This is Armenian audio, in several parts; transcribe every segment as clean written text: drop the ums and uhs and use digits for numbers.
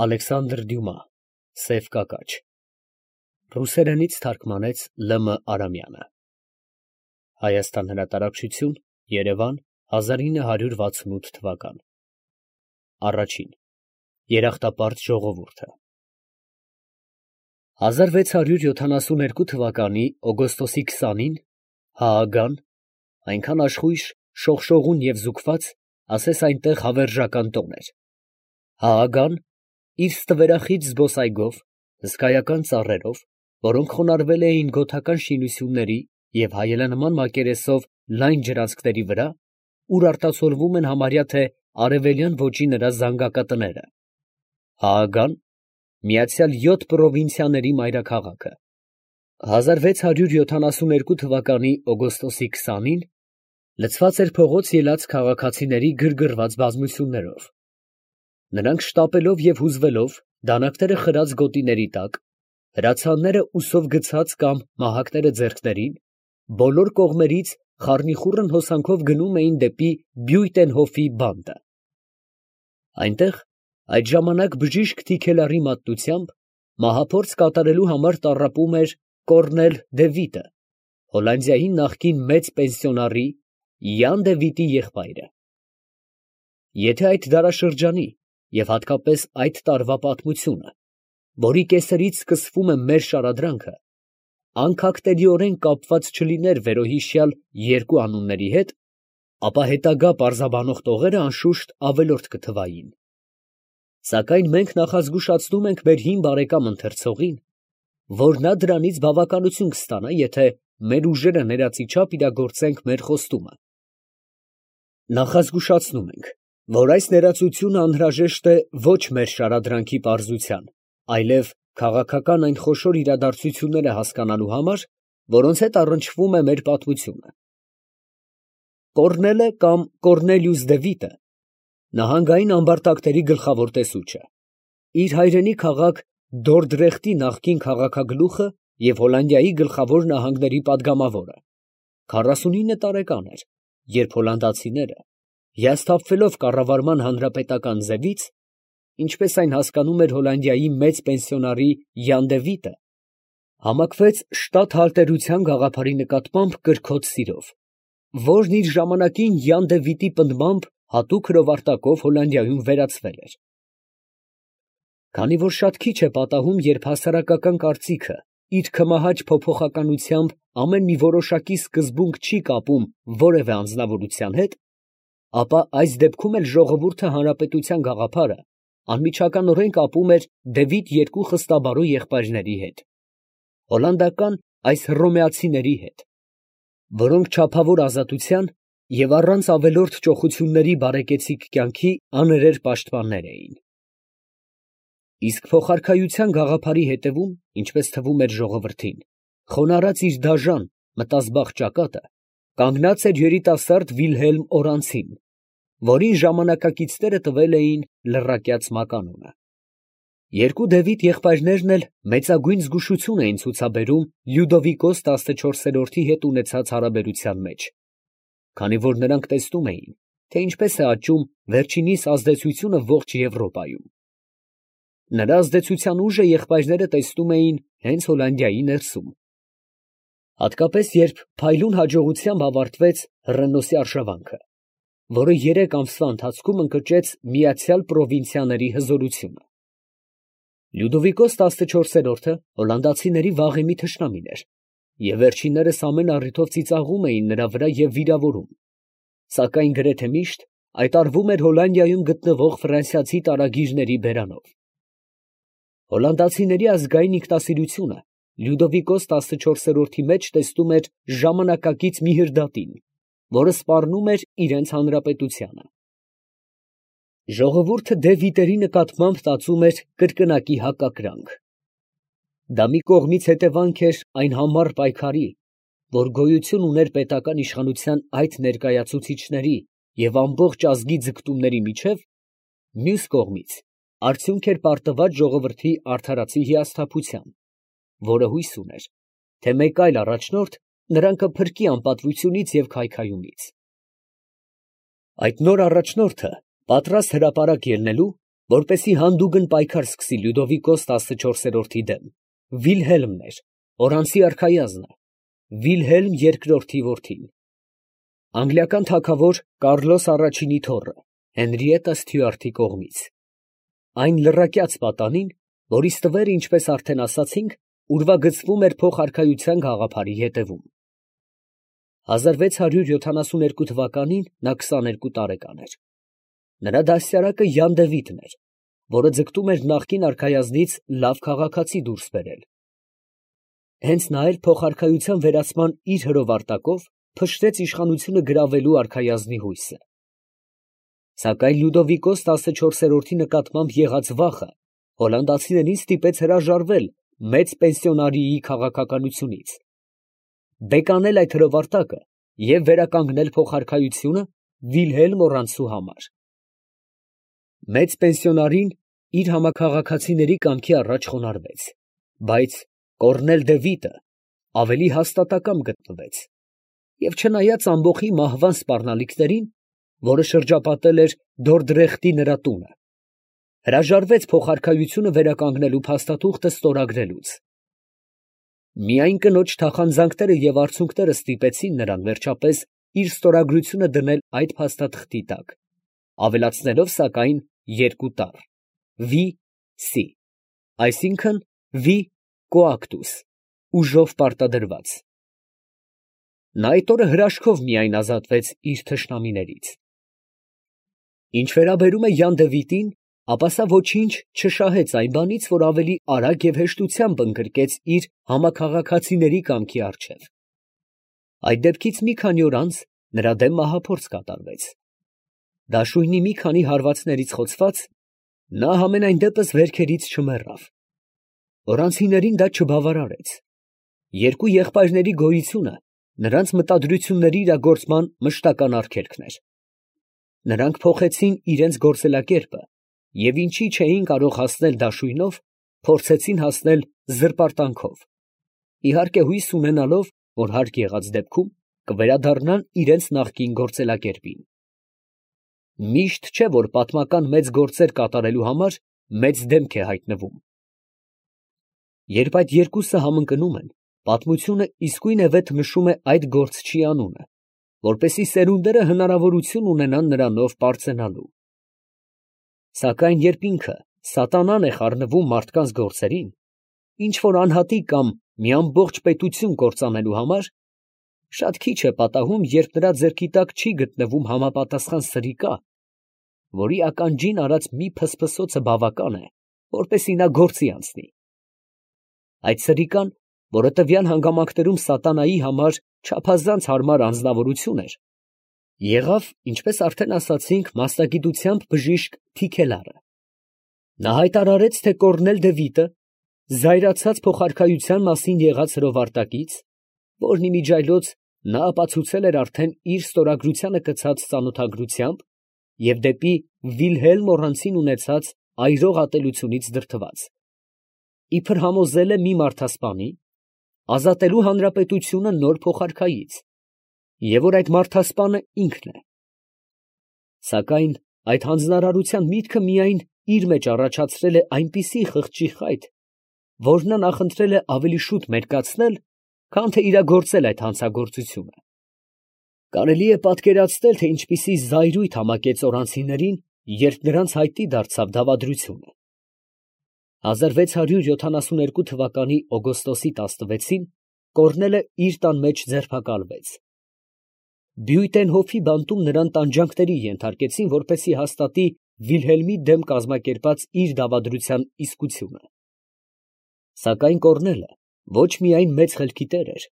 Ալեքսանդր Դյումա Սև կակաչ Ռուսերենից թարգմանեց Լ.Մ. Արամյանը Հայաստան հրատարակչություն Երևան 1968 թվական Առաջին Երախտապարտ ժողովուրդը 1672 թվականի օգոստոսի 20-ին Հաագան այնքան աշխույժ, շողշողուն և զուգված, ասես այնտեղ հավերժական տոն էր. Հաագան իր ստվերախիտ զբոսայգով, հսկայական ծառերով, որոնք խոնարհվել էին գոթական շինությունների և հայելանման մակերեսով լայն ջրանցքների վրա, ուր արտացոլվում են համարյա թե արևելյան ոճի նրա զանգակատները. Հաագան միացյալ 7 պրովինցիաների մայրաքաղաքը 1672 թվականի օգոստոսի 20-ին լցված էր փողոց ելած քաղաքացիների գրգռված բազմություններով. նրանք շտապելով և հուզվելով, դանակաները խրած գոտիների տակ, հրացանները ուսով գցած կամ մահակները ձեռքներին, բոլոր կողմերից խառնիխուռն հոսանքով գնում էին դեպի Բյույտենհոֆի բանտը. այնտեղ այդ ժամանակ բժիշկ Թիքելարի մատնությամբ մահափորձ կատարելու համար տառապում էր Կոռնել դե Վիտը, Հոլանդիայի նախկին մեծ պենսիոնարի Յան դե Վիտի եղբայրը. եթե այդ դարաշրջանի և հատկապես այդ տարվա պատմությունը, որի կեսերից սկսվում է մեր շարադրանքը, անքակտելիորեն կապված չլիներ վերոհիշյալ երկու անունների հետ, ապա հետագա պարզաբանող տողերը անշուշտ ավելորդ կթվային. սակայն մենք նախազգուշացնում ենք մեր հին բարեկամ ընթերցողին, որ նա դրանից բավականություն կստանա, եթե մեր ուժերը ներածի չափ իրագործենք մեր խոստումը. նախազգուշացնում ենք, որ այս ներածությունը անհրաժեշտ է ոչ մեր շարադրանքի պարզության, այլև քաղաքական այն խոշոր իրադարձությունները հասկանալու համար, որոնց հետ առնչվում է մեր պատմությունը։ Կոռնելը կամ Կոռնելիուս դե Վիտը նահանգային ամբարտակների գլխավոր տեսուչը, իր հայրենի քաղաք Դորդրեխտի նախկին քաղաքագլուխը և Հոլանդիայի գլխավոր նահանգների պատգամավորը, 49 տարեկան էր, երբ հոլանդացիները, հիասթափվելով կառավարման հանրապետական ձևից, ինչպես այն հասկանում էր Հոլանդիայի մեծ պենսիոնարի Յան դե Վիտը, համակվեց շտաթհալտերության գաղափարի նկատմամբ կրքոտ սիրով, որն իր ժամանակին Յան դե Վիտի պնդմամբ հատուկ հրովարտակով Հոլանդիայում վերացվել էր։ Քանի որ շատ քիչ է պատահում, երբ հասարակական կարծիքը իր քմահաճ փոփոխականությամբ ամեն մի որոշակի սկզբունք չի կապում որևէ անձնավորության հետ, ապա այս դեպքում էլ ժողովուրդը հանրապետության գաղափարը անմիջականորեն կապում էր դե Վիտ երկու խստաբարո եղբայրների հետ, հոլանդական այս հռոմեացիների հետ, որոնք չափավոր ազատության և առանց ավելորդ ճոխությունների բարեկեցիկ կյանքի աներեր պաշտպաններ էին։ Իսկ փոխարքայության գաղափարի հետևում, ինչպես թվում էր ժողովրդին, խոնարհած իր դաժան, մտազբաղ ճակատը, կանգնած էր երիտասարդ Վիլհելմ Օրանցին, որին ժամանակակիցները տվել էին լռակյաց մականունը։ Երկու դե Վիտ եղբայրներն էլ մեծագույն զգուշություն էին ցուցաբերում Լյուդովիկոս 14-րդի հետ ունեցած հարաբերության մեջ, քանի որ նրանք տեսնում էին, թե ինչպես է աճում վերջինիս ազդեցությունը ողջ Եվրոպայում։ Նրա ազդեցության ուժը եղբայրները տեսնում էին հենց Հոլանդիայի ներսում։ Հատկապես երբ փայլուն հաջողությամբ ավարտվեց Հռենոսի արշավանքը, որը 3 ամսվա ընթացքում ընկճեց միացյալ պրովինցիաների հզորությունը։ Լյուդովիկոս 14-րդը հոլանդացիների վաղեմի թշնամին էր, և վերջիններս ամեն առիթով ծիծաղում էին նրա վրա և վիրավորում, սակայն գրեթե միշտ այդ արվում էր Հոլանդիայում գտնվող ֆրանսիացի տարագիրների բերանով։ Հոլանդացիների ազգային ինքնասիրությունը Լյուդովիկոս 14-րդի մեջ տեսնում էր ժամանակակից մի հրդատին, որը սպառնում էր իրենց հանրապետությանը։ Ժողովուրդը դե Վիտերի նկատմամբ տածում էր կրկնակի հակակրանք։ Դա մի կողմից հետևանք էր այն համառ պայքարի, որ գոյություն ուներ պետական իշխանության այդ ներկայացուցիչների և ամբողջ ազգի ձգտումների միջև, մյուս կողմից արդյունք էր պարտված ժողովրդի արդարացի հիասթափության, որը հույս ուներ, թե մեկ այլ առաջնորդ նրան կփրկի անպատվությունից և քայքայումից։ Այդ նոր առաջնորդը պատրաստ հրապարակ ելնելու որպեսի հանդուգն պայքար սկսի Լյուդովիկոս 14-րդի դեմ, Վիլհելմն էր, Օրանցի արքայազնը, Վիլհելմ II որդին, անգլիական թագավոր Կարլոս առաջինի թոռը, Հենրիետա Ստյուարտի կողմից, այն լռակյաց պատանին, որի ստվերը, ինչպես արդեն ասացինք, ուրվագծվում էր փոխարքայության գաղափարի հետևում։ 1672 թվականին նա 22 տարեկան էր։ Նրա դաստիարակը Յան Դևիթն էր, որը ձգտում էր նախկին արքայազնից լավ քաղաքացի դուրս բերել։ Հենց նա էլ փոխարքայության վերացման իր հրովարտակով փշրեց իշխանությունը գրավելու արքայազնի հույսը։ Սակայն Լյուդովիկոս 14-րդի նկատմամբ եղած վախը հոլանդացիներին ստիպեց հրաժարվել մեծ պենսիոնարիի քաղաքականությունից, բեկանել այդ հրովարտակը և վերականգնել փոխարքայությունը Վիլհելմ Օրանցու համար։ Մեծ պենսիոնարին իր համաքաղաքացիների կամքի առաջ խոնարհվեց, բայց Կոռնել դե Վիտը ավելի հաստատակամ գտնվեց և չնայած ամբոխի մահվան սպառնալիքներին, որը շրջապատել էր Դորդրեխտի նրա տունը, հրաժարվեց փոխարքայությունը վերականգնելու փաստաթուղթը ստորագրելուց։ Միայն կնոջ թախանձանքները և արցունքները ստիպեցին նրան վերջապես իր ստորագրությունը դնել այդ փաստաթղթի տակ, ավելացնելով սակայն 2 տառ V.C. այսինքն V. Coactus, ուժով պարտադրված։ Նա այդ օրը հրաշքով միայն ազատվեց իր թշնամիներից։ Ինչ վերաբերում է Յան Դևիտին, ապա սա ոչինչ չշահեց այն բանից, որ ավելի արագ և հեշտությամբ ընդգրկեց իր համաքաղաքացիների կամքի առջև։ Այդ դեպքից մի քանի օր անց նրա դեմ մահափորձ կատարվեց։ Դաշույնի մի քանի հարվածներից խոցված, նա համենայն դեպս վերքերից չմեռավ։ Օրանցիներին դա չբավարարեց։ Երկու եղբայրների գոյությունը նրանց մտադրությունների իրագործման մշտական արգելքն էր։ Նրանք փոխեցին իրենց գործելակերպը և ինչի չէին կարող հասնել դաշույնով, փորձեցին հասնել զրպարտանքով, իհարկե հույս ունենալով, որ հարկ եղած դեպքում կվերադառնան իրենց նախկին գործելակերպին։ Միշտ չէ, որ պատմական մեծ գործեր կատարելու համար մեծ դեմք է հայտնվում։ Երբ այդ երկուսը համընկնում են, պատմությունը իսկույն է վեթ նշում է այդ գործչի անունը, որպեսզի սերունդերը հնարավորություն ունենան նրանով պարծենալու։ Սակայն երբ ինքը սատանան է խառնվում մարդկանց գործերին, ինչ որ անհատի կամ մի ամբողջ պետություն կործանելու համար, շատ քիչ է պատահում, երբ նրա ձեռքի տակ չի գտնվում համապատասխան սրիկա, որի ականջին արած մի փսփսոցը բավական է, որպեսզի նա գործի անցնի։ Այդ սրիկան, որը տվյալ հանգամանքներում սատանայի համար չափազանց հարմար անձնավորություն էր, եղավ, ինչպես արդեն ասացինք, մասնագիտությամբ բժիշկ Թիքելարը։ Նա հայտարարեց, թե Կոռնել դե Վիտը զայրացած փոխարքայության մասին եղած հրովարտակից, որն իմիջիայլոց նա ապացուցել էր արդեն իր ստորագրությանը կցած ծանոթագրությամբ և դեպի Վիլհելմ Օրանցին ունեցած այրող ատելությունից դրդված, իբր համոզել է մի մարդասպանի ազատելու հանրապետությունը նոր փոխարքայից, և որ այդ մարդասպանը ինքն է։ Սակայն այդ հանձնարարության միտքը միայն իր մեջ առաջացրել է այնպիսի խղճի խայտ, որ նա նախընտրել է ավելի շուտ մերկացնել, քան թե իրագործել այդ հանցագործությունը։ Կարելի է պատկերացնել, թե ինչպիսի զայրույթ համակեց օրանցիներին, երբ նրանց հայտնի դարձավ դավադրությունը։ 1672 թվականի օգոստոսի 16-ին Կոռնելը իր տան մեջ ձերբակալվեց։ Բյուտենհոֆի բանտում նրան տանջանքների ենթարկեցին, որպեսզի հաստատի Վիլհելմի դեմ կազմակերպած իր դավադրության իսկությունը։ Սակայն Կոռնելը ոչ միայն մեծ խելքի տեր էր,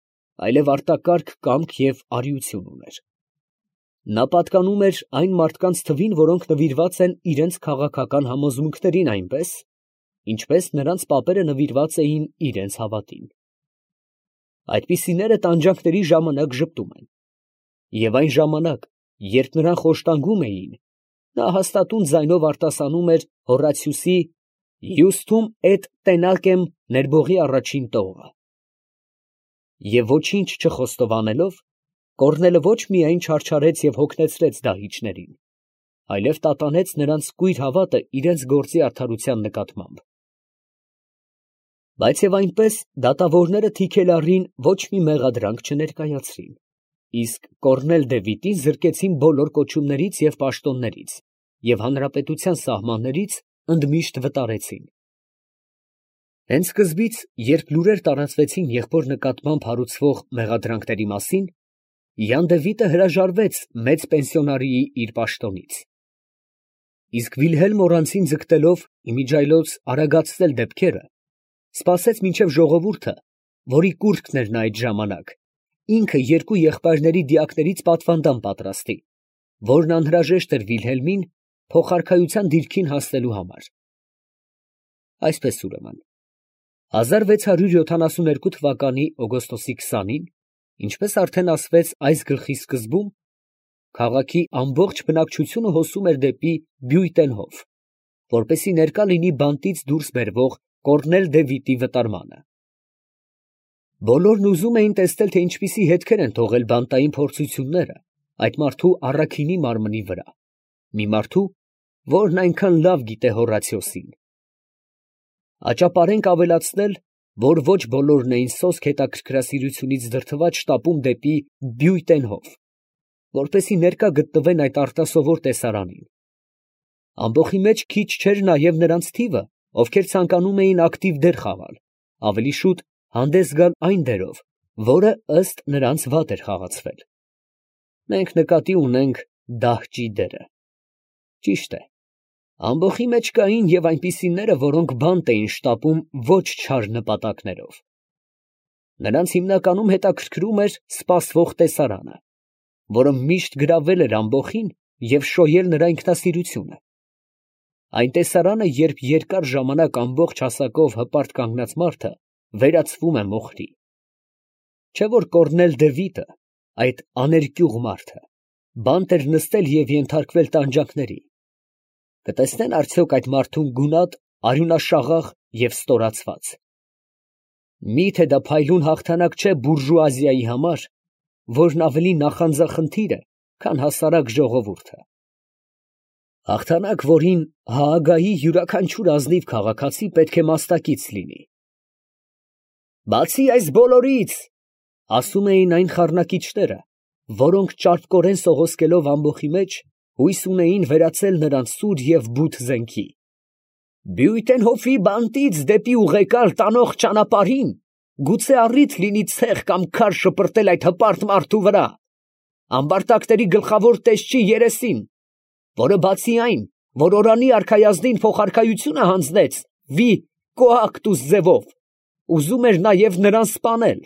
այլև արտակարգ կամք և արիություն ուներ։ Նա պատկանում էր այն մարդկանց թվին, որոնք նվիրված են իրենց քաղաքական համոզմունքներին այնպես, ինչպես նրանց պապերը նվիրված էին իրենց հավատին։ Այդպիսիները տանջանքների ժամանակ ժպտում են, և այն ժամանակ, երբ նրան խոշտանգում էին, նա հաստատուն ձայնով արտասանում էր Հորատիուսի «Iustum et tenacem» ներբողի առաջին տողը։ Եվ ոչինչ չխոստովանելով, Կոռնելը ոչ միայն չարչարեց և հոգնեցրեց դահիճներին, այլև տատանեց նրանց կույր հավատը իրենց գործի արդարության նկատմամբ։ Բայց և այնպես դատավորները թիքելառին ոչ մի մեղադրանք չներկայացրին, իսկ Կորնել Դևիթին զրկեցին բոլոր կոչումներից և պաշտոններից և հանրապետության սահմաններից ընդմիշտ վտարեցին։ Հենց սկզբից, երբ լուրեր տարածվեցին եղբոր նկատմամբ հարուցվող մեղադրանքների մասին, Յան Դևիթը հրաժարվեց մեծ պենսիոնարիի իր պաշտոնից։ Իսկ Վիլհելմ Օրանցին ձգտելով իմիջիայլոց արագացնել դեպքերը, սպասեց մինչև ժողովուրդը, որի կուռքն էր նա այդ ժամանակ, ինքը երկու եղբայրների դիակներից պատվանդան պատրաստի, որն անհրաժեշտ էր Վիլհելմին փոխարքայության դիրքին հասնելու համար։ Այսպես ուրեմն, 1672 թվականի օգոստոսի 20-ին, ինչպես արդեն ասվեց այս գլխի սկզբում, քաղաքի ամբողջ բնակչությունը հոսում էր դեպի Բյույտենհոֆ, որպեսզի ներկա լինի բանտից դուրս բերվող Կորնել Դևիթի վտարմանը։ Բոլորն ուզում էին տեսնել, թե ինչպիսի հետքեր են թողել բանտային փորձությունները այդ մարդու առաքինի մարմնի վրա, մի մարդու, որն այնքան լավ գիտե Հորացիոսին։ Աճապարենք ավելացնել, որ ոչ բոլորն էին սոսկ հետաքրքրասիրությունից դրդված շտապում դեպի Բյույտենհոֆ, որպեսզի ներկա գտնվեն այդ արտասովոր տեսարանին։ Ամբոխի մեջ քիչ չէր նաև նրանց թիվը, ովքեր ցանկանում էին ակտիվ դեր խաղալ, ավելի շուտ հանդես գալ այն դերով, որը ըստ նրանց վատ էր խաղացվել։ Մենք նկատի ունենք դահճի դերը։ Ճիշտ է, ամբոխի մեջ կային և այնպիսիները, որոնք բանտ էին շտապում ոչ չար նպատակներով։ Նրանց հիմնականում հետաքրքրում էր սպասվող տեսարանը, որը միշտ գրավել էր ամբոխին և շոյել նրա ինքնասիրությունը։ Այն տեսարանը, երբ երկար ժամանակ ամբողջ հասակով հպարտ կանգնած մարդը վերածվում է մոխրի։ Չէ՞ որ Կորնել Դևիթը, այդ աներկյուղ մարդը, բանտ էր նստել և ենթարկվել տանջանքների։ Կտեսնե՞ն արդյոք այդ մարդուն գունատ, արյունաշաղախ և ստորացված։ Մի՞թե դա փայլուն հաղթանակ չէ բուրժուազիայի համար, որն ավելի նախանձախնդիր է, քան հասարակ ժողովուրդը։ Հաղթանակ, որին Հաագայի յուրաքանչյուր ազնիվ քաղաքացի պետք է մասնակից լինի։ «Բացի այս բոլորից, ֊ ասում էին այն խառնակիչները, որոնք ճարպկորեն սողոսկելով ամբոխի մեջ, հույս ունեին վերածել նրան սուր և բութ զենքի, ֊ Բյույտենհոֆի բանտից դեպի ուղեկալ տանող ճանապարհին գուցե առիթ լինի ցեխ կամ քար շպրտել այդ հպարտ մարդու վրա, ամբարտակների գլխավոր տեսչի երեսին, որը բացի այն, որ Օրանի արքայազնին փոխարքայությունը հանձնեց վի կոակտուս ձևով, ուզում էր նաև նրան սպանել»։